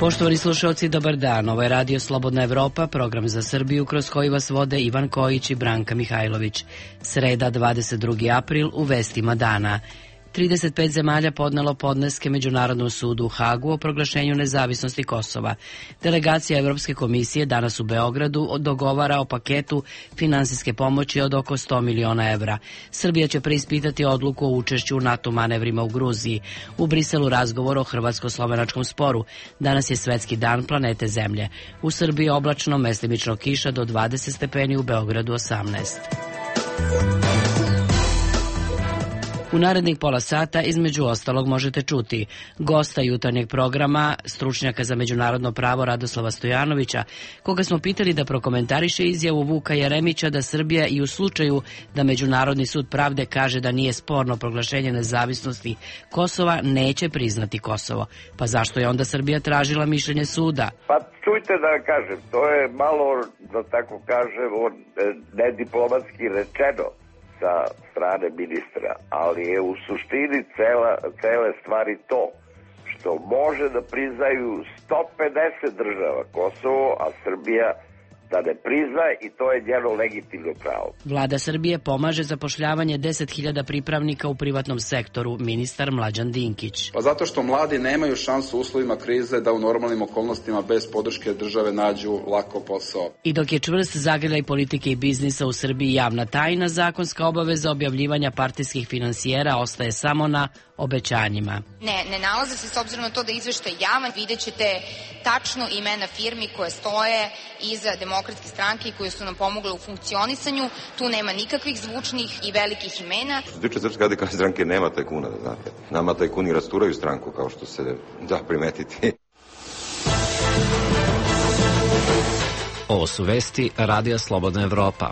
Poštovani slušalci, dobar dan. Ovo je Radio Slobodna Evropa, program za Srbiju kroz koji vas vode Ivan Kojić i Branka Mihajlović. Sreda, 22. april, u vestima dana. 35 zemalja podnelo podneske Međunarodnom sudu u Hagu o proglašenju nezavisnosti Kosova. Delegacija Evropske komisije danas u Beogradu dogovara o paketu finansijske pomoći od oko 100 miliona evra. Srbija će preispitati odluku o učešću u NATO manevrima u Gruziji. U Briselu razgovor o hrvatsko-slovenačkom sporu. Danas je svetski dan planete Zemlje. U Srbiji oblačno, mestimično kiša do 20 stepeni, u Beogradu 18. U narednih pola sata između ostalog možete čuti gosta jutarnjeg programa, stručnjaka za međunarodno pravo Radoslava Stojanovića, koga smo pitali da prokomentariše izjavu Vuka Jeremića da Srbija i u slučaju da Međunarodni sud pravde kaže da nije sporno proglašenje nezavisnosti Kosova, neće priznati Kosovo. Pa zašto je onda Srbija tražila mišljenje suda? Pa čujte da kažem, to je malo, da tako kažem, nediplomatski rečeno sa strane ministra, ali je u suštini cele stvari to što može da priznaju 150 država Kosovo, a Srbija da ne priznaje, i to je njeno legitimno pravo. Vlada Srbije pomaže zapošljavanje 10.000 pripravnika u privatnom sektoru, ministar Mlađan Dinkić. Pa zato što mladi nemaju šansu u uslovima krize da u normalnim okolnostima bez podrške države nađu lako posao. I dok je čvrst zagrljaj politike i biznisa u Srbiji javna tajna, zakonska obaveza objavljivanja partijskih finansijera ostaje samo na obećanjima. Ne nalaze se, s obzirom na to da izveštaj javan, vidjet ćete tačno imena firmi koje stoje iza Demokratske stranke i koje su nam pomogle u funkcionisanju. Tu nema nikakvih zvučnih i velikih imena. Što se tiče Srpske radikalne stranke, nema tajkuna, da znate. Nama tajkuni rasturaju stranku, kao što se da primetiti. Ovo su vesti Radija Slobodna Evropa.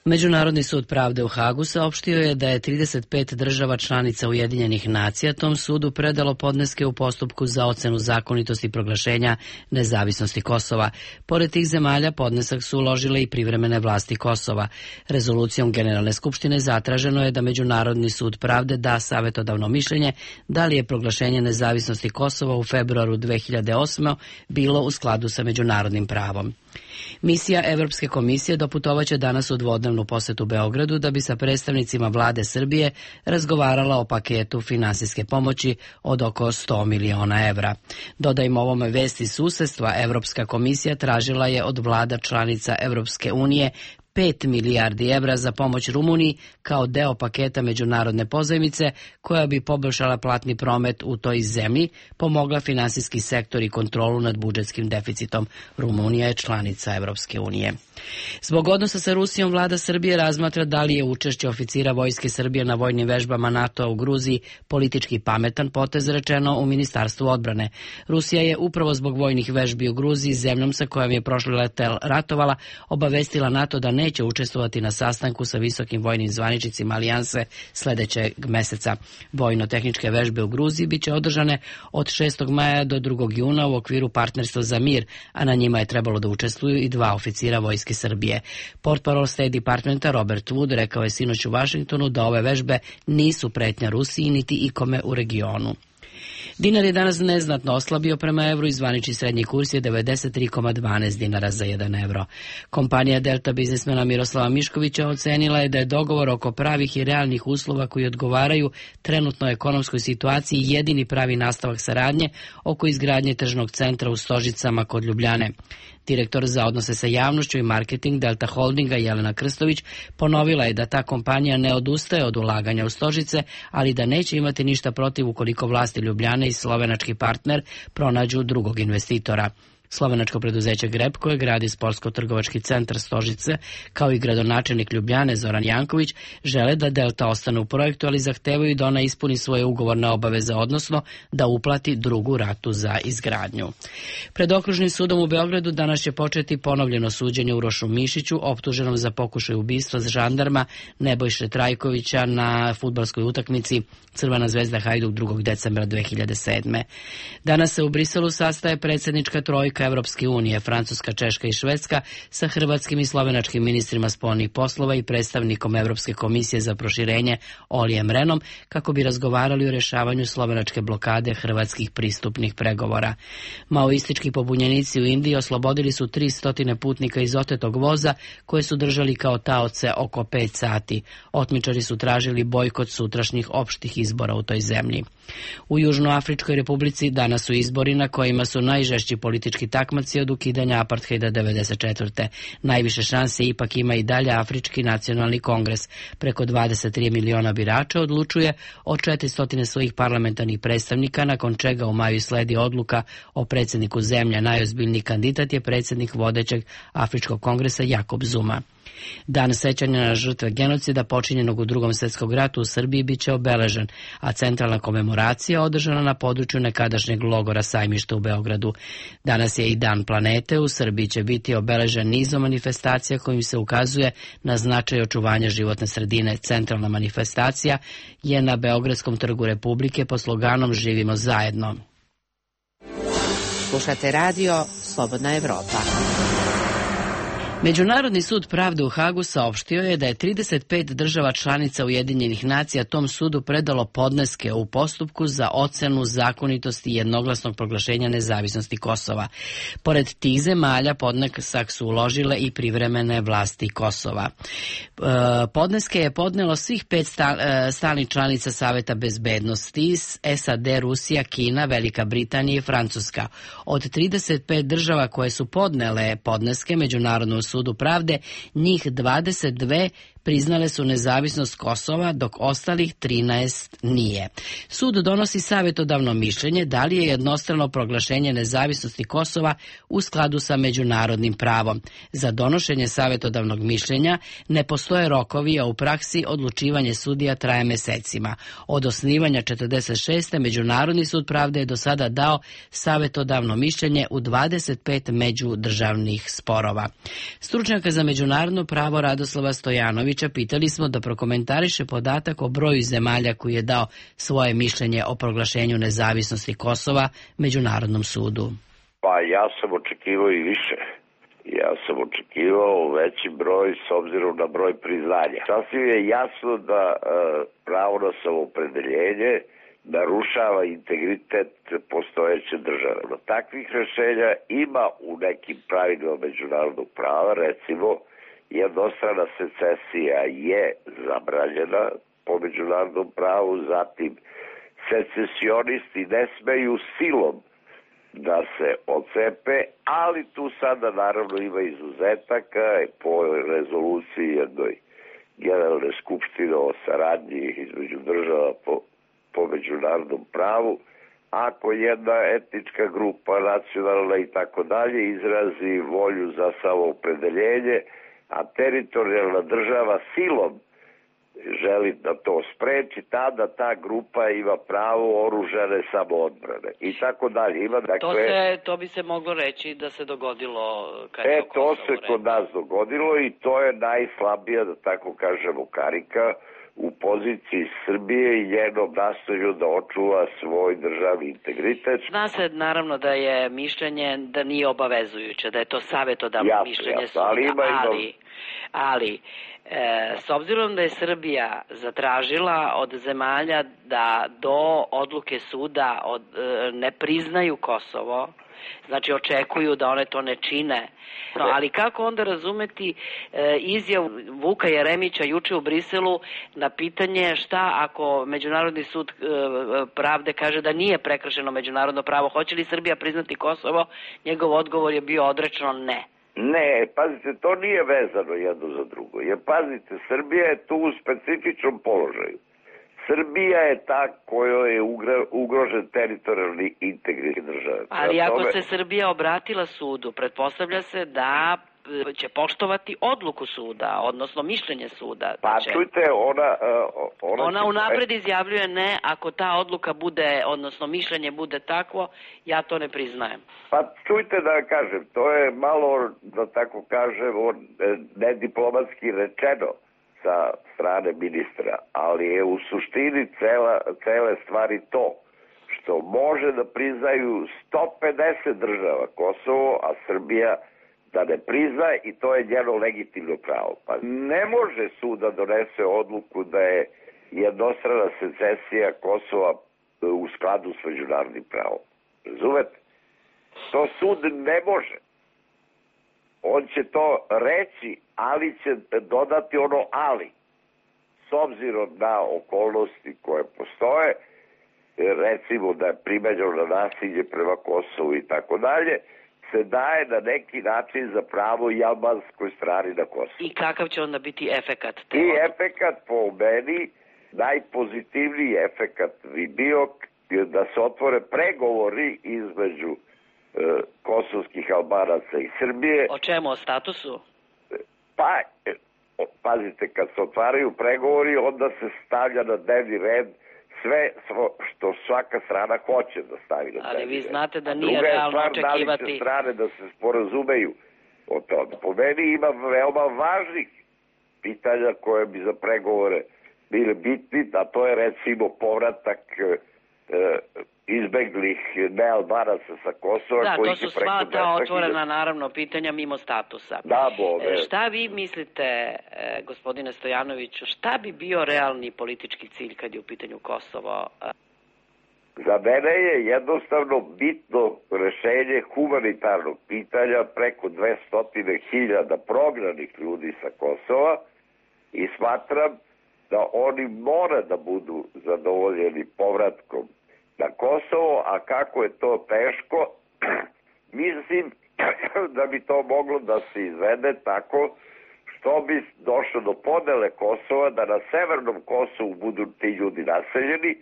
Međunarodni sud pravde u Hagu saopštio je da je 35 država članica Ujedinjenih nacija tom sudu predalo podneske u postupku za ocenu zakonitosti proglašenja nezavisnosti Kosova. Pored tih zemalja podnesak su uložile i privremene vlasti Kosova. Rezolucijom Generalne skupštine zatraženo je da Međunarodni sud pravde da savetodavno mišljenje da li je proglašenje nezavisnosti Kosova u februaru 2008. bilo u skladu sa međunarodnim pravom. Misija Evropske komisije doputovaće danas u dvodnevnu posetu Beogradu da bi sa predstavnicima vlade Srbije razgovarala o paketu finansijske pomoći od oko 100 miliona evra. Dodajmo ovome vesti susedstva, Evropska komisija tražila je od vlada članica Evropske unije 5 milijardi evra za pomoć Rumuniji kao deo paketa međunarodne pozajmice koja bi poboljšala platni promet u toj zemlji, pomogla finansijski sektor i kontrolu nad budžetskim deficitom. Rumunija je članica Evropske unije. Zbog odnosa sa Rusijom, vlada Srbije razmatra da li je učešće oficira Vojske Srbije na vojnim vežbama NATO-a u Gruziji politički pametan potez, rečeno u Ministarstvu odbrane. Rusija je upravo zbog vojnih vežbi u Gruziji, zemljom sa kojom je prošli letel ratovala, obavestila NATO da neće učestvovati na sastanku sa visokim vojnim zvaničnicima alijanse sledećeg meseca. Vojno-tehničke vežbe u Gruziji biće održane od 6. maja do 2. juna u okviru Partnerstva za mir, a na njima je trebalo da učestvuju i 2 oficira Vojske Srbije. Portparol State Departmenta Robert Wood rekao je sinoć u Vašingtonu da ove vežbe nisu pretnja Rusiji niti ikome u regionu. Dinar je danas neznatno oslabio prema evru i zvanični srednji kurs je 93,12 dinara za 1 evro. Kompanija Delta biznismena Miroslava Miškovića ocenila je da je dogovor oko pravih i realnih uslova koji odgovaraju trenutnoj ekonomskoj situaciji jedini pravi nastavak saradnje oko izgradnje tržnog centra u Stožicama kod Ljubljane. Direktor za odnose sa javnošću i marketing Delta Holdinga Jelena Krstović ponovila je da ta kompanija ne odustaje od ulaganja u Stožice, ali da neće imati ništa protiv ukoliko vlasti Ljubljane i slovenački partner pronađu drugog investitora. Slovenačko preduzeće Grep, koje gradi sportsko-trgovački centar Stožice, kao i gradonačelnik Ljubljane Zoran Janković, žele da Delta ostane u projektu, ali zahtevaju da ona ispuni svoje ugovorne obaveze, odnosno da uplati drugu ratu za izgradnju. Pred Okružnim sudom u Beogradu danas će početi ponovljeno suđenje Urošu Mišiću, optuženom za pokušaj ubistva žandarma Nebojše Trajkovića na fudbalskoj utakmici Crvena zvezda Hajduk 2. decembra 2007. Danas se u Briselu sastaje predsjednička trojka članica Evropske unije, Francuska, Češka i Švedska, sa hrvatskim i slovenačkim ministrima spoljnih poslova i predstavnikom Evropske komisije za proširenje Olijem Renom, kako bi razgovarali o rješavanju slovenačke blokade hrvatskih pristupnih pregovora. Maoistički pobunjenici u Indiji oslobodili su 300 putnika iz otetog voza koje su držali kao taoce oko 5 sati. Otmičari su tražili bojkot sutrašnjih opštih izbora u toj zemlji. U Južnoafričkoj republici danas su izbori na kojima su najžešći politički takmaci od ukidanja apartheida 1994. Najviše šanse ipak ima i dalje Afrički nacionalni kongres. Preko 23 miliona birača odlučuje o 400 svojih parlamentarnih predstavnika, nakon čega u maju sledi odluka o predsjedniku zemlje. Najozbiljniji kandidat je predsjednik vodećeg Afričkog kongresa Jakob Zuma. Dan sećanja na žrtve genocida počinjenog u Drugom svjetskom ratu u Srbiji biće obeležen, a centralna komemoracija održana na području nekadašnjeg logora Sajmišta u Beogradu. Danas je i Dan planete. U Srbiji će biti obeležen nizom manifestacija kojim se ukazuje na značaj očuvanja životne sredine. Centralna manifestacija je na Beogradskom trgu Republike pod sloganom Živimo zajedno. Slušate radio Slobodna Evropa. Međunarodni sud pravde u Hagu saopštio je da je 35 država članica Ujedinjenih nacija tom sudu predalo podneske u postupku za ocenu zakonitosti jednoglasnog proglašenja nezavisnosti Kosova. Pored tih zemalja podnesak su uložile i privremene vlasti Kosova. Podneske je podnelo svih 5 stalnih članica Saveta bezbednosti, SAD, Rusija, Kina, Velika Britanija i Francuska. Od 35 država koje su podnele podneske Međunarodnom sudu pravde, njih 22 priznale su nezavisnost Kosova, dok ostalih 13 nije. Sud donosi savjetodavno mišljenje da li je jednostrano proglašenje nezavisnosti Kosova u skladu sa međunarodnim pravom. Za donošenje savjetodavnog mišljenja ne postoje rokovi, a u praksi odlučivanje sudija traje mesecima. Od osnivanja 46. Međunarodni sud pravde je do sada dao savjetodavno mišljenje u 25 međudržavnih sporova. Stručnjaka za međunarodno pravo Radoslava Stojanovića pitali smo da prokomentariše podatak o broju zemalja koji je dao svoje mišljenje o proglašenju nezavisnosti Kosova Međunarodnom sudu. Pa ja sam očekivao i više. Ja sam očekivao veći broj s obzirom na broj priznanja. Sasvim je jasno da pravo na samoopredeljenje narušava integritet postojeće države. No, takvih rešenja ima u nekim pravilima međunarodnog prava, recimo jednostrana secesija je zabranjena po međunarodnom pravu, zatim secesionisti ne smeju silom da se odcepe, ali tu sada naravno ima izuzetaka po rezoluciji jednoj generalne skupštine o saradnji između država po međunarodnom pravu. Ako jedna etnička grupa, nacionalna i tako dalje izrazi volju za samoopredeljenje, a teritorijalna država silom želi da to spreči, tada ta grupa ima pravo oružane samoodbrane i tako dalje. Ima, dakle, to bi se moglo reći da se dogodilo to se kod nas dogodilo i to je najslabija, da tako kažemo, karika u poziciji Srbije i njenom nastojanju da očuva svoj državni integritet. Zna se naravno da je mišljenje da nije obavezujuće, da je to savjetodavno mišljenje suda, ali s obzirom da je Srbija zatražila od zemalja da do odluke suda ne priznaju Kosovo, znači očekuju da one to ne čine. No, ali kako onda razumeti izjavu Vuka Jeremića juče u Briselu na pitanje šta ako Međunarodni sud pravde kaže da nije prekršeno međunarodno pravo, hoće li Srbija priznati Kosovo? Njegov odgovor je bio odrečno ne. Ne, pazite, to nije vezano jedno za drugo. Jer pazite, Srbija je tu u specifičnom položaju. Srbija je ta kojoj je ugrožen teritorijalni integritet države. Ali ako se Srbija obratila sudu, pretpostavlja se da će poštovati odluku suda, odnosno mišljenje suda. Pa čujte, ona unapred izjavljuje ne, ako ta odluka bude, odnosno mišljenje bude takvo, ja to ne priznajem. Pa čujte da kažem, to je malo, da tako kažem, nediplomatski rečeno sa strane ministra, ali je u suštini cele stvari to što može da priznaju 150 država Kosovo, a Srbija da ne priznaje, i to je njeno legitimno pravo. Pa ne može sud da donese odluku da je jednostrana secesija Kosova u skladu s međunarodnim pravom. Razumete? To sud ne može. On će to reći, ali će dodati ono ali. S obzirom na okolnosti koje postoje, recimo da je primenjeno nasilje prema Kosovu i tako dalje, se daje na neki način za pravo i albanskoj strani na Kosovu. I kakav će onda biti efekat? I efekat po meni, najpozitivniji efekat bi bio da se otvore pregovori između kosovskih Albanaca i Srbije. O čemu? O statusu? Pa, pazite, kad se otvaraju pregovori, onda se stavlja na dnevni red sve što svaka strana hoće da stavi na dnevni red. Ali vi znate da nije realno očekivati... Da li će strane da se sporazumeju o tome. Po meni ima veoma važnih pitanja koje bi za pregovore bile bitni, a to je recimo povratak izbeglih nealbanaca sa Kosova. Da, to su sva ta otvorena naravno pitanja mimo statusa. Da, šta vi mislite, gospodine Stojanoviću, šta bi bio realni politički cilj kad je u pitanju Kosovo? Za mene je jednostavno bitno rešenje humanitarnog pitanja preko 200.000 prognanih ljudi sa Kosova i smatram da oni mora da budu zadovoljeni povratkom na Kosovo, a kako je to teško, mislim da bi to moglo da se izvede tako što bi došlo do podele Kosova, da na severnom Kosovu budu ti ljudi naseljeni,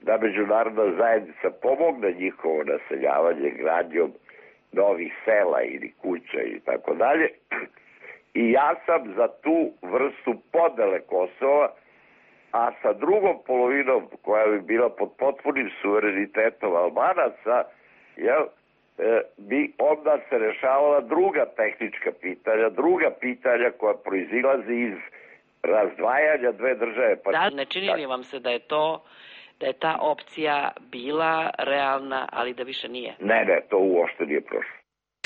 da međunarodna zajednica pomogne njihovo naseljavanje gradnjom novih sela ili kuća i tako dalje. I ja sam za tu vrstu podele Kosova, a sa drugom polovinom koja bi bila pod potpunim suverenitetom Albanaca, bi onda se rešavala druga tehnička pitanja, druga pitanja koja proizilazi iz razdvajanja dve države. Da, ne čini li vam se da je ta opcija bila realna, ali da više nije? Ne, to uopšte nije prošlo.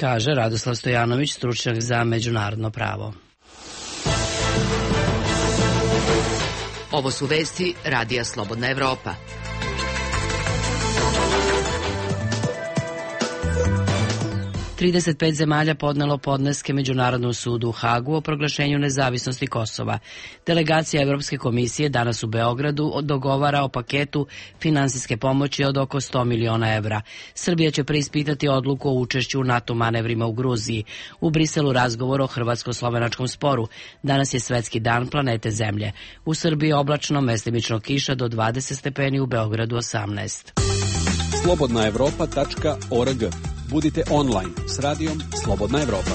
Kaže Radoslav Stojanović, stručnjak za međunarodno pravo. Ovo su vesti Radija Slobodna Evropa. Trideset pet zemalja podnelo podneske Međunarodnom sudu u Hagu o proglašenju nezavisnosti Kosova. Delegacija Evropske komisije danas u Beogradu dogovara o paketu finansijske pomoći od oko 100 miliona evra. Srbija će preispitati odluku o učešću u NATO manevrima u Gruziji. U Briselu razgovor o hrvatsko-slovenačkom sporu. Danas je svetski dan planete Zemlje. U Srbiji oblačno, mestimično kiša do 20 stepeni, u Beogradu 18. slobodnaevropa.org. Budite online s radijom Slobodna Evropa.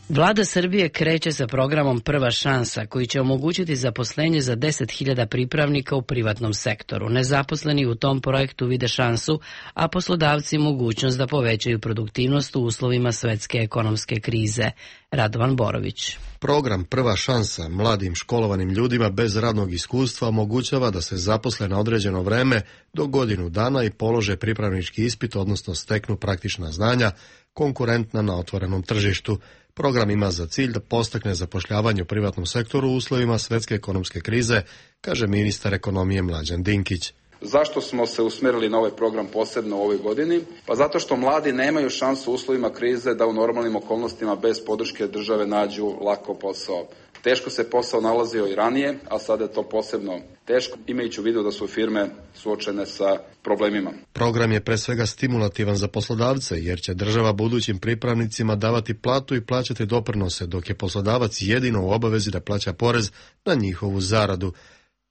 Vlada Srbije kreće sa programom Prva šansa, koji će omogućiti zaposlenje za 10.000 pripravnika u privatnom sektoru. Nezaposleni u tom projektu vide šansu, a poslodavci mogućnost da povećaju produktivnost u uslovima svetske ekonomske krize. Radovan Borović. Program Prva šansa mladim školovanim ljudima bez radnog iskustva omogućava da se zaposle na određeno vreme do godinu dana i polože pripravnički ispit, odnosno steknu praktična znanja konkurentna na otvorenom tržištu. Program ima za cilj da podstakne zapošljavanje u privatnom sektoru u uslovima svetske ekonomske krize, kaže ministar ekonomije Mlađan Dinkić. Zašto smo se usmjerili na ovaj program posebno u ovoj godini? Pa zato što mladi nemaju šansu u uslovima krize da u normalnim okolnostima bez podrške države nađu lako posao. Teško se posao nalazio i ranije, a sada je to posebno teško, imajući u vidu da su firme suočene sa problemima. Program je pre svega stimulativan za poslodavce, jer će država budućim pripravnicima davati platu i plaćati doprinose, dok je poslodavac jedino u obavezi da plaća porez na njihovu zaradu.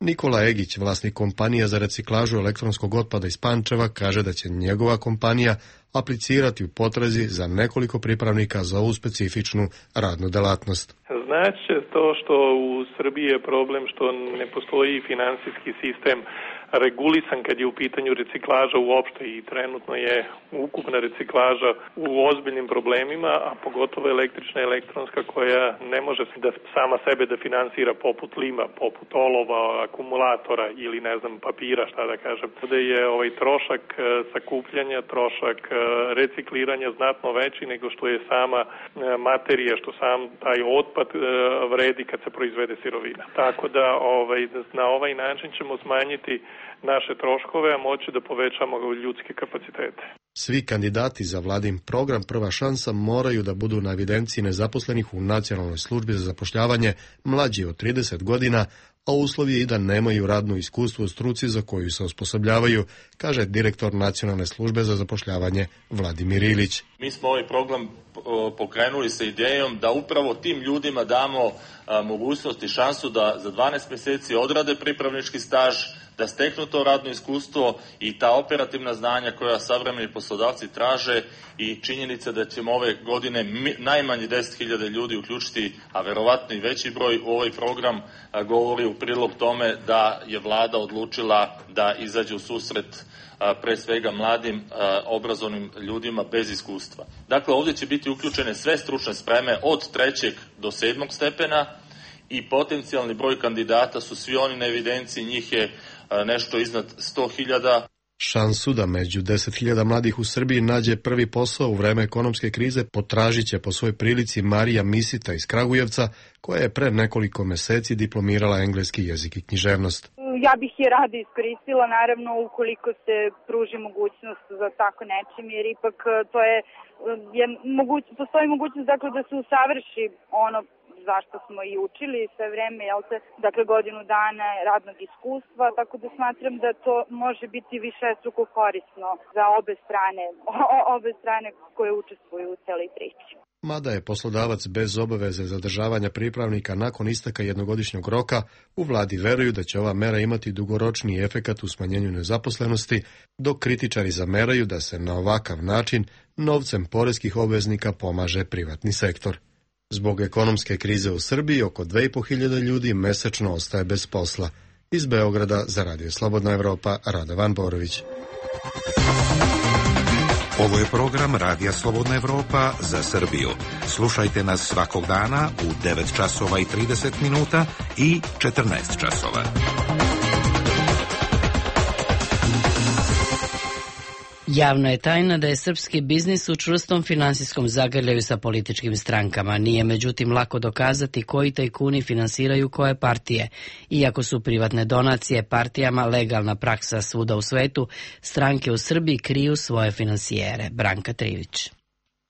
Nikola Egić, vlasnik kompanije za reciklažu elektronskog otpada iz Pančeva, kaže da će njegova kompanija aplicirati u potrazi za nekoliko pripravnika za ovu specifičnu radnu delatnost. Znači to što u Srbiji je problem što ne postoji finansijski sistem regulisan kad je u pitanju reciklaža uopšte i trenutno je ukupna reciklaža u ozbiljnim problemima, a pogotovo električna i elektronska koja ne može da sama sebe da finansira poput lima, poput olova, akumulatora ili ne znam papira, šta da kažem. Da je trošak sakupljanja, trošak recikliranja znatno veći nego što je sama materija, što sam taj otpad vredi kad se proizvede sirovina. Tako da na ovaj način ćemo smanjiti naše troškove, a moći da povećamo ljudske kapacitete. Svi kandidati za vladin program Prva šansa moraju da budu na evidenciji nezaposlenih u Nacionalnoj službi za zapošljavanje mlađi od 30 godina, a uslov je i da nemaju radno iskustvo u struci za koju se osposobljavaju, kaže direktor Nacionalne službe za zapošljavanje Vladimir Ilić. Mi smo ovaj program pokrenuli sa idejom da upravo tim ljudima damo mogućnost i šansu da za 12 mjeseci odrade pripravnički staž, da steknu to radno iskustvo i ta operativna znanja koja savremeni poslodavci traže i činjenica da ćemo ove godine najmanje 10.000 ljudi uključiti, a verovatno i veći broj u ovaj program, govori u prilog tome da je vlada odlučila da izađe u susret pre svega mladim obrazovnim ljudima bez iskustva. Dakle, ovdje će biti uključene sve stručne spreme od 3. do 7. stepena i potencijalni broj kandidata su svi oni na evidenciji, njih je nešto iznad 100.000. Šansu da među 10.000 mladih u Srbiji nađe prvi posao u vreme ekonomske krize potražit će po svojoj prilici Marija Misita iz Kragujevca, koja je pre nekoliko meseci diplomirala engleski jezik i književnost. Ja bih je rado iskoristila, naravno, ukoliko se pruži mogućnost za tako nečim, jer ipak to postoji mogućnost da se usavrši ono zašto smo i učili sve vreme, dakle godinu dana radnog iskustva, tako da smatram da to može biti višestruko korisno za obe strane koje učestvuju u celoj priči. Mada je poslodavac bez obaveze zadržavanja pripravnika nakon isteka jednogodišnjeg roka, u vladi veruju da će ova mera imati dugoročni efekat u smanjenju nezaposlenosti, dok kritičari zameraju da se na ovakav način novcem poreskih obveznika pomaže privatni sektor. Zbog ekonomske krize u Srbiji oko 2.500 ljudi mesečno ostaje bez posla. Iz Beograda za Radio Slobodna Evropa, Radovan Borović. Ovo je program Radija Slobodna Evropa za Srbiju. Slušajte nas svakog dana u 9 časova i 30 minuta i 14 časova. Javno je tajna da je srpski biznis u čvrstom finansijskom zagrljaju sa političkim strankama. Nije međutim lako dokazati koji tajkuni finansiraju koje partije. Iako su privatne donacije partijama legalna praksa svuda u svetu, stranke u Srbiji kriju svoje finansijere. Branka Trivić.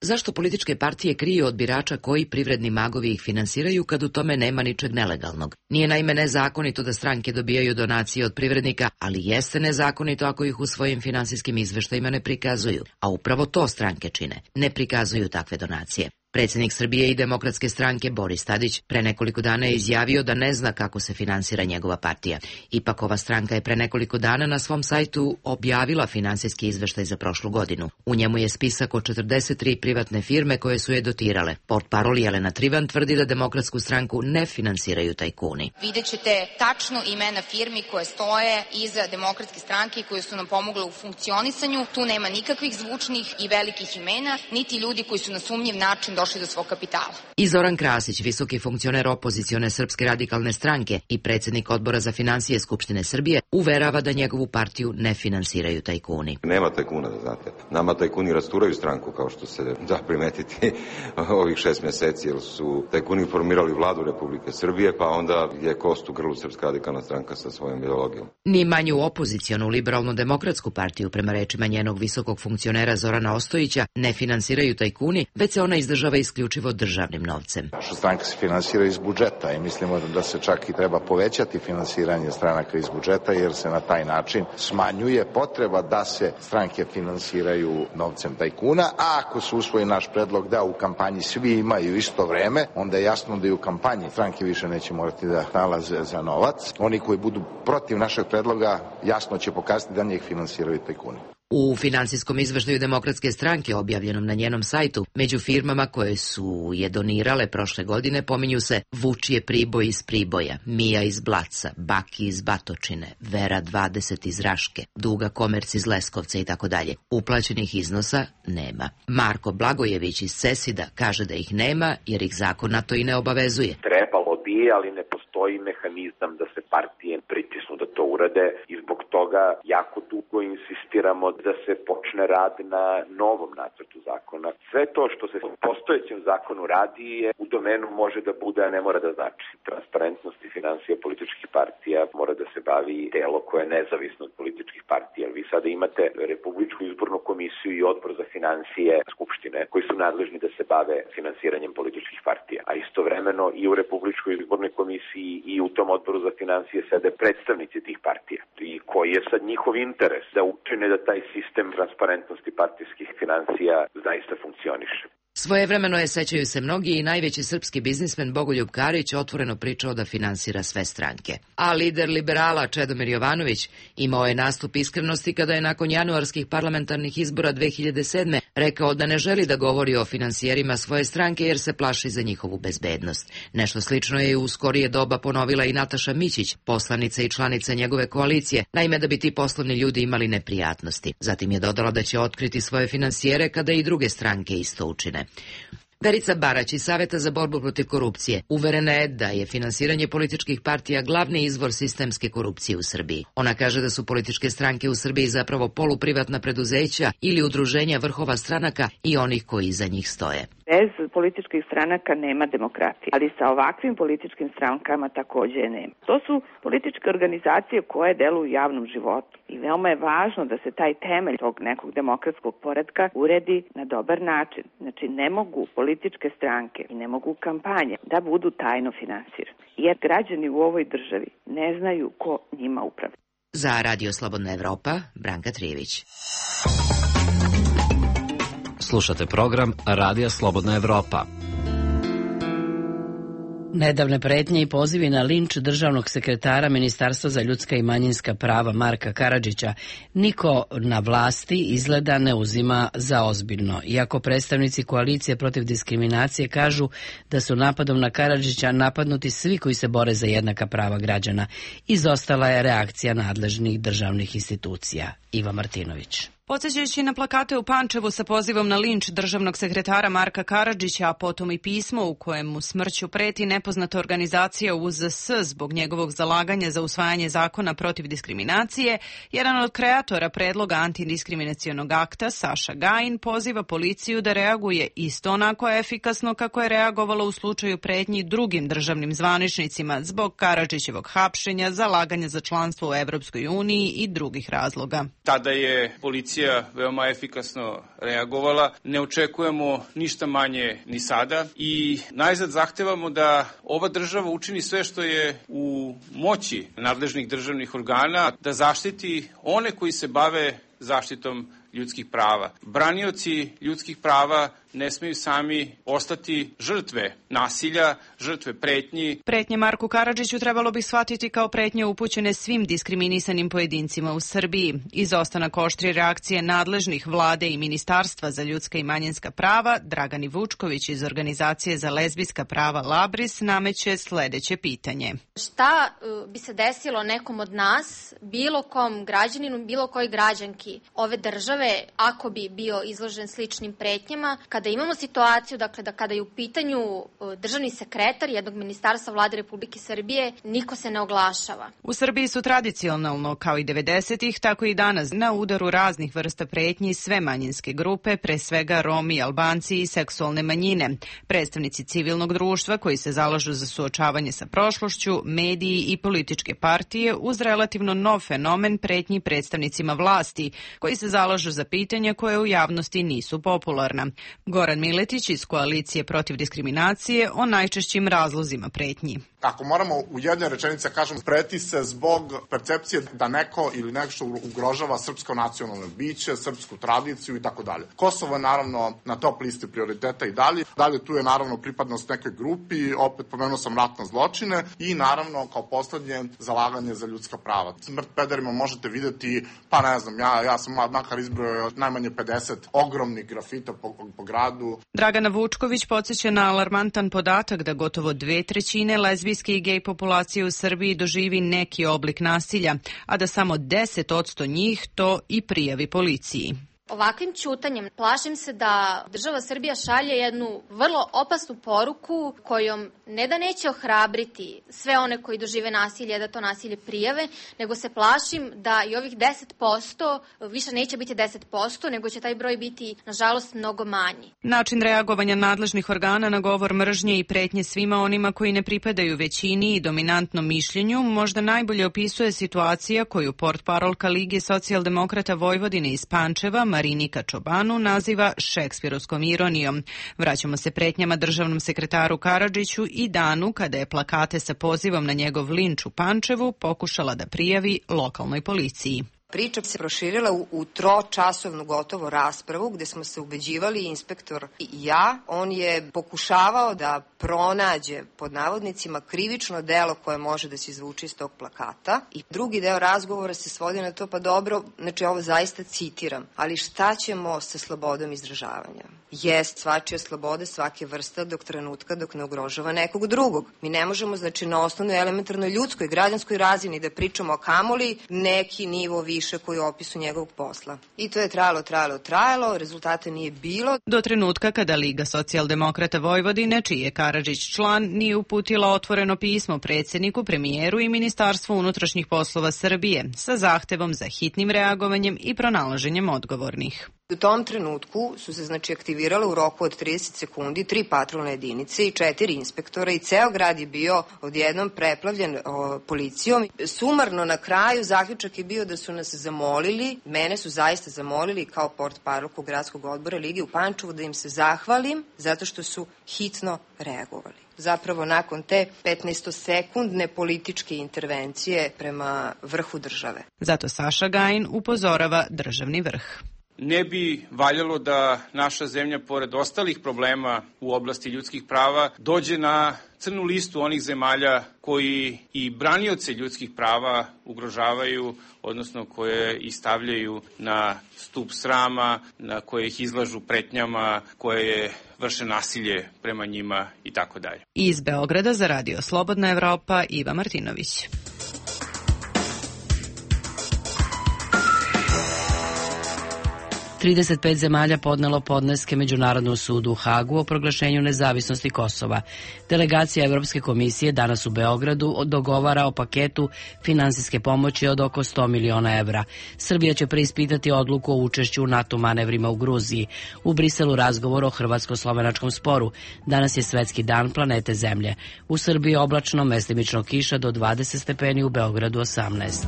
Zašto političke partije kriju od birača koji privredni magovi ih finansiraju kad u tome nema ničeg nelegalnog? Nije naime nezakonito da stranke dobijaju donacije od privrednika, ali jeste nezakonito ako ih u svojim finansijskim izveštajima ne prikazuju. A upravo to stranke čine. Ne prikazuju takve donacije. Predsjednik Srbije i Demokratske stranke Boris Tadić pre nekoliko dana je izjavio da ne zna kako se finansira njegova partija. Ipak ova stranka je pre nekoliko dana na svom sajtu objavila finansijski izveštaj za prošlu godinu. U njemu je spisak od 43 privatne firme koje su je dotirale. Portparol Jelena Trivan tvrdi da Demokratsku stranku ne finansiraju tajkuni. Vidjet ćete tačno imena firmi koje stoje iza Demokratske stranke i koje su nam pomogle u funkcionisanju. Tu nema nikakvih zvučnih i velikih imena, niti ljudi koji su na sumnjiv način došli do svog kapitala. I Zoran Krasić, visoki funkcioner opozicione Srpske radikalne stranke i predsjednik odbora za finansije Skupštine Srbije, uverava da njegovu partiju ne finansiraju tajkuni. Nema tajkuna, da znate. Nama tajkuni rasturaju stranku, kao što se da primetiti ovih 6 mjeseci, jer su tajkuni formirali vladu Republike Srbije, pa onda je kost u grlu Srpska radikalna stranka sa svojom ideologijom. Ni manju opozicionu liberalno-demokratsku partiju, prema rečima njenog visokog funkcionera Zorana Ostojića, ne finansiraju tajkuni, već se ona izdržava isključivo državnim novcem. Naša stranka se finansira iz budžeta i mislimo da se čak i treba povećati finansiranje stranaka iz budžeta, jer se na taj način smanjuje potreba da se stranke finansiraju novcem tajkuna, a ako se usvoji naš predlog da u kampanji svi imaju isto vreme, onda je jasno da i u kampanji stranke više neće morati da nalaze za novac. Oni koji budu protiv našeg predloga jasno će pokazati da njih finansiraju tajkuni. U finansijskom izveštaju Demokratske stranke objavljenom na njenom sajtu, među firmama koje su je donirale prošle godine pominju se Vučije Priboj iz Priboja, Mija iz Blaca, Baki iz Batočine, Vera 20 iz Raške, Duga Komerc iz Leskovca i tako dalje. Uplaćenih iznosa nema. Marko Blagojević iz Cesida kaže da ih nema jer ih zakon na to i ne obavezuje. Trebalo bi, ali ne postoji mehanizam da se partije pritisnu da to urade i zbog toga jako dugo insistiramo da se počne rad na novom nacrtu zakona. Sve to što se u postojećem zakonu radi je u domenu može da bude, a ne mora da znači. Transparentnost i financija političkih partija mora da se bavi telo koje je nezavisno od političkih partija. Vi sada imate Republičku izbornu komisiju i odbor za financije Skupštine koji su nadležni da se bave finansiranjem političkih partija. A istovremeno i u Republičkoj izbornoj komisiji i u tom odboru za financije sede predstavnici tih partija. I koji je sad njihov interes da učine da taj sistem transparentnosti partijskih financija zaista funkcioniše. Svojevremeno je, sećaju se mnogi, i najveći srpski biznismen Bogoljub Karić otvoreno pričao da finansira sve stranke. A lider liberala Čedomir Jovanović imao je nastup iskrenosti kada je nakon januarskih parlamentarnih izbora 2007. rekao da ne želi da govori o finansijerima svoje stranke jer se plaši za njihovu bezbednost. Nešto slično je u skorije doba ponovila i Nataša Mićić, poslanica i članica njegove koalicije, naime da bi ti poslovni ljudi imali neprijatnosti. Zatim je dodala da će otkriti svoje finansijere kada i druge stranke isto učine. Verica Barać iz Saveta za borbu protiv korupcije uverena je da je finansiranje političkih partija glavni izvor sistemske korupcije u Srbiji. Ona kaže da su političke stranke u Srbiji zapravo poluprivatna preduzeća ili udruženja vrhova stranaka i onih koji iza njih stoje. Bez političkih stranaka nema demokratije, ali sa ovakvim političkim strankama takođe je nema. To su političke organizacije koje deluju u javnom životu i veoma je važno da se taj temelj tog nekog demokratskog poretka uredi na dobar način. Znači ne mogu političke stranke i ne mogu kampanje da budu tajno finansirane, jer građani u ovoj državi ne znaju ko njima upravlja. Za Radio Slobodna Evropa, Branka Trijević. Slušate program Radija Slobodna Evropa. Nedavne pretnje i pozivi na linč državnog sekretara Ministarstva za ljudska i manjinska prava Marka Karadžića niko na vlasti izgleda ne uzima za ozbiljno. Iako predstavnici koalicije protiv diskriminacije kažu da su napadom na Karadžića napadnuti svi koji se bore za jednaka prava građana, izostala je reakcija nadležnih državnih institucija. Iva Martinović. Podsjećajući na plakate u Pančevu sa pozivom na linč državnog sekretara Marka Karadžića, a potom i pismo u kojem mu smrću preti nepoznata organizacija UZS zbog njegovog zalaganja za usvajanje zakona protiv diskriminacije, jedan od kreatora predloga antidiskriminacionog akta, Saša Gajin, poziva policiju da reaguje isto onako efikasno kako je reagovala u slučaju pretnji drugim državnim zvaničnicima zbog Karadžićevog hapšenja, zalaganja za članstvo u Evropskoj uniji i drugih razloga. Tada je policija veoma efikasno reagovala. Ne očekujemo ništa manje ni sada i najzad zahtevamo da ova država učini sve što je u moći nadležnih državnih organa da zaštiti one koji se bave zaštitom ljudskih prava. Branioci ljudskih prava ne smeju sami ostati žrtve nasilja, žrtve pretnji. Pretnje Marku Karadžiću trebalo bi shvatiti kao pretnje upućene svim diskriminisanim pojedincima u Srbiji. Izostanak oštrije reakcije nadležnih vlade i Ministarstva za ljudska i manjinska prava, Dragani Vučković iz Organizacije za lezbijska prava Labris nameće sledeće pitanje. Šta bi se desilo nekom od nas, bilo kom građaninu, bilo kojoj građanki ove države, ako bi bio izložen sličnim pretnjama, kada imamo situaciju, dakle, da kada je u pitanju državni sekretar jednog ministarstva vlade Republike Srbije, niko se ne oglašava. U Srbiji su tradicionalno, kao i 90-ih, tako i danas, na udaru raznih vrsta pretnji sve manjinske grupe, pre svega Romi, Albanci i seksualne manjine, predstavnici civilnog društva koji se zalažu za suočavanje sa prošlošću, mediji i političke partije, uz relativno nov fenomen pretnji predstavnicima vlasti, koji se zalažu za pitanja koje u javnosti nisu popularna. Goran Miletić iz Koalicije protiv diskriminacije o najčešćim razlozima pretnji. Ako moramo u jednoj rečenici kažemo, preti se zbog percepcije da neko ili nešto ugrožava srpsko nacionalno biće, srpsku tradiciju i tako dalje. Kosovo je naravno na top listi prioriteta i dalje. Dalje tu je naravno pripadnost nekoj grupi, opet pomenuo sam ratne zločine i naravno kao poslednje zalaganje za ljudska prava. Smrt pederima možete videti, pa ne znam, ja sam makar izbrojao najmanje 50 ogromnih grafita po gradu. Dragana Vučković podsjeća na alarmantan podatak da gotovo 2/3 lezbijske i gej populacije u Srbiji doživi neki oblik nasilja, a da samo 10% njih to i prijavi policiji. Ovakvim ćutanjem plašim se da država Srbija šalje jednu vrlo opasnu poruku kojom ne da neće ohrabriti sve one koji dožive nasilje da to nasilje prijave, nego se plašim da i ovih 10% više neće biti 10%, nego će taj broj biti, nažalost, mnogo manji. Način reagovanja nadležnih organa na govor mržnje i pretnje svima onima koji ne pripadaju većini i dominantnom mišljenju možda najbolje opisuje situacija koju portparolka Lige socijaldemokrata Vojvodine iz Pančeva Marinika Čobanu naziva šekspirovskom ironijom. Vraćamo se pretnjama državnom sekretaru Karadžiću i danu kada je plakate sa pozivom na njegov linč u Pančevu pokušala da prijavi lokalnoj policiji. Priča se proširila u tročasovnu gotovo raspravu gde smo se ubeđivali, inspektor i ja. On je pokušavao da pronađe, pod navodnicima, krivično delo koje može da se izvuče iz tog plakata. I drugi deo razgovora se svodi na to, pa dobro, znači ovo zaista citiram, ali šta ćemo sa slobodom izražavanja? Jest svačija sloboda svake vrste dok trenutka dok ne ugrožava nekog drugog. Mi ne možemo, znači, na osnovnoj elementarnoj ljudskoj, građanskoj razini da pričamo o kamoli neki nivo više koji je opisu njegovog posla. I to je trajalo, rezultata nije bilo. Do trenutka kada Liga socijaldemokrata Vojvodine, čiji je Karadžić član, nije uputila otvoreno pismo predsjedniku, premijeru i Ministarstvu unutrašnjih poslova Srbije sa zahtevom za hitnim reagovanjem i pronalaženjem odgovornih. U tom trenutku su se, znači, aktivirale u roku od 30 sekundi 3 patrolne jedinice i 4 inspektora i ceo grad je bio odjednom preplavljen policijom. Sumarno na kraju zaključak je bio da su nas zamolili, mene su zaista zamolili kao portparolku gradskog odbora Lige u Pančevu da im se zahvalim zato što su hitno reagovali. Zapravo nakon te 15-sekundne političke intervencije prema vrhu države. Zato Saša Gajin upozorava državni vrh. Ne bi valjalo da naša zemlja, pored ostalih problema u oblasti ljudskih prava, dođe na crnu listu onih zemalja koji i branioce ljudskih prava ugrožavaju, odnosno koje ih stavljaju na stup srama, na koje ih izlažu pretnjama, koje vrše nasilje prema njima i tako dalje. Iz Beograda za Radio Slobodna Evropa, Iva Martinović. 35 zemalja podnelo podneske Međunarodnom sudu u Hagu o proglašenju nezavisnosti Kosova. Delegacija Evropske komisije danas u Beogradu dogovara o paketu finansijske pomoći od oko 100 miliona evra. Srbija će preispitati odluku o učešću u NATO manevrima u Gruziji. U Briselu razgovor o hrvatsko-slovenačkom sporu. Danas je svetski dan planete Zemlje. U Srbiji oblačno, mestimično kiša do 20 stepeni, u Beogradu 18.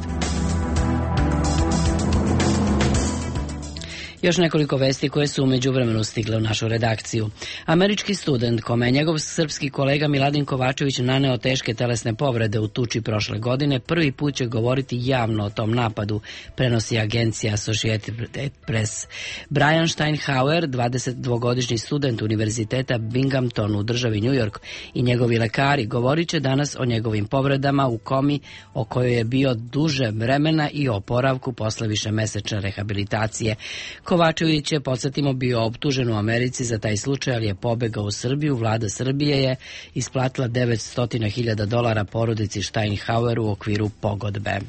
Još nekoliko vesti koje su u međuvremenu stigle u našu redakciju. Američki student, kome je njegov srpski kolega Miladin Kovačević naneo teške telesne povrede u tuči prošle godine, prvi put će govoriti javno o tom napadu, prenosi agencija Associated Press. Brian Steinhauer, 22-godišnji student univerziteta Binghamton u državi New York, i njegovi lekari govorit će danas o njegovim povredama u komi o kojoj je bio duže vremena i o oporavku posle višemesečne rehabilitacije. Kovačević je, podsjetimo, bio optužen u Americi za taj slučaj, ali je pobegao u Srbiju. Vlada Srbije je isplatila $900.000 porodici Steinhaueru u okviru pogodbe.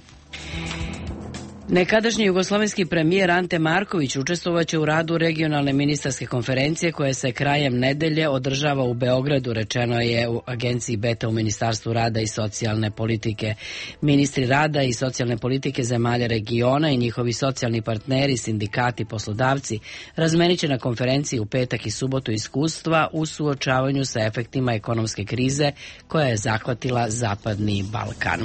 Nekadašnji jugoslovenski premijer Ante Marković učestvovaće u radu regionalne ministarske konferencije koja se krajem nedelje održava u Beogradu, rečeno je u agenciji Beta u Ministarstvu rada i socijalne politike. Ministri rada i socijalne politike zemalja regiona i njihovi socijalni partneri, sindikati, poslodavci razmenit će na konferenciji u petak i subotu iskustva u suočavanju sa efektima ekonomske krize koja je zahvatila Zapadni Balkan.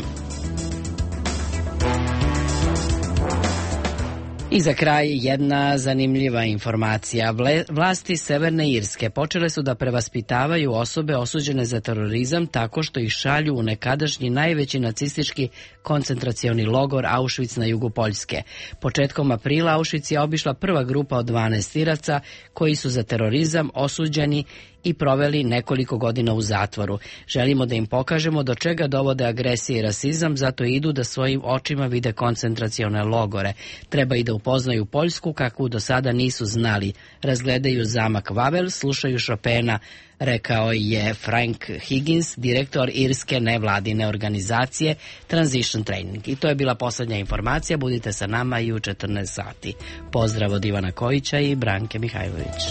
I za kraj jedna zanimljiva informacija. Vlasti Severne Irske počele su da prevaspitavaju osobe osuđene za terorizam tako što ih šalju u nekadašnji najveći nacistički koncentracioni logor Auschwitz na jugu Poljske. Početkom aprila Auschwitz je obišla prva grupa od 12 Iraca koji su za terorizam osuđeni i proveli nekoliko godina u zatvoru. Želimo da im pokažemo do čega dovode agresija i rasizam, zato idu da svojim očima vide koncentracione logore. Treba i da upoznaju Poljsku kakvu do sada nisu znali. Razgledaju zamak Vavel, slušaju Chopina, rekao je Frank Higgins, direktor irske nevladine organizacije Transition Training. I to je bila poslednja informacija. Budite sa nama i u 14 sati. Pozdrav od Ivana Kojića i Branke Mihajlović.